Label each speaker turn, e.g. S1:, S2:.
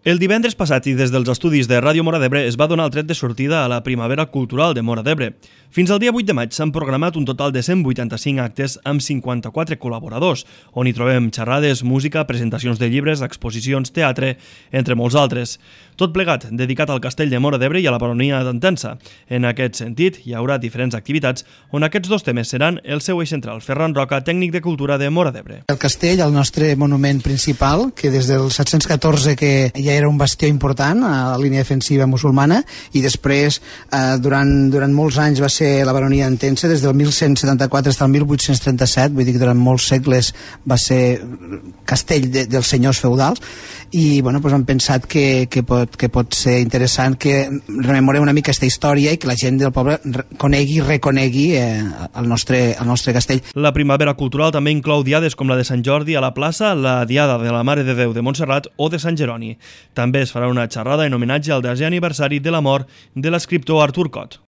S1: El divendres passat i des dels estudis de Ràdio Móra d'Ebre es va donar el tret de sortida a la Primavera Cultural de Móra d'Ebre. Fins al dia 8 de maig s'han programat un total de 185 actes amb 54 col·laboradors, on hi trobem xerrades, música, presentacions de llibres, exposicions, teatre, entre molts altres. Tot plegat dedicat al castell de Móra d'Ebre i a la baronia d'Entença. En aquest sentit, hi haurà diferents activitats on aquests dos temes seran el seu eix central. Ferran Roca, tècnic de cultura de Móra d'Ebre.
S2: El castell, el nostre monument principal, que des del 714 que ja era un bastió important a la línia defensiva musulmana, i després durant molts anys va ser la baronia d'Entença, des del 1174 fins al 1837, vull dir que durant molts segles va ser castell dels senyors feudals, i bueno, doncs hem pensat que pot ser interessant que rememorem una mica aquesta història i que la gent del poble conegui i reconegui el nostre castell.
S1: La Primavera Cultural també inclou diades com la de Sant Jordi a la plaça, la Diada de la Mare de Déu de Montserrat o de Sant Jeroni. També es farà una xerrada en homenatge al 10è aniversari de la mort de l'escriptor Artur Cot.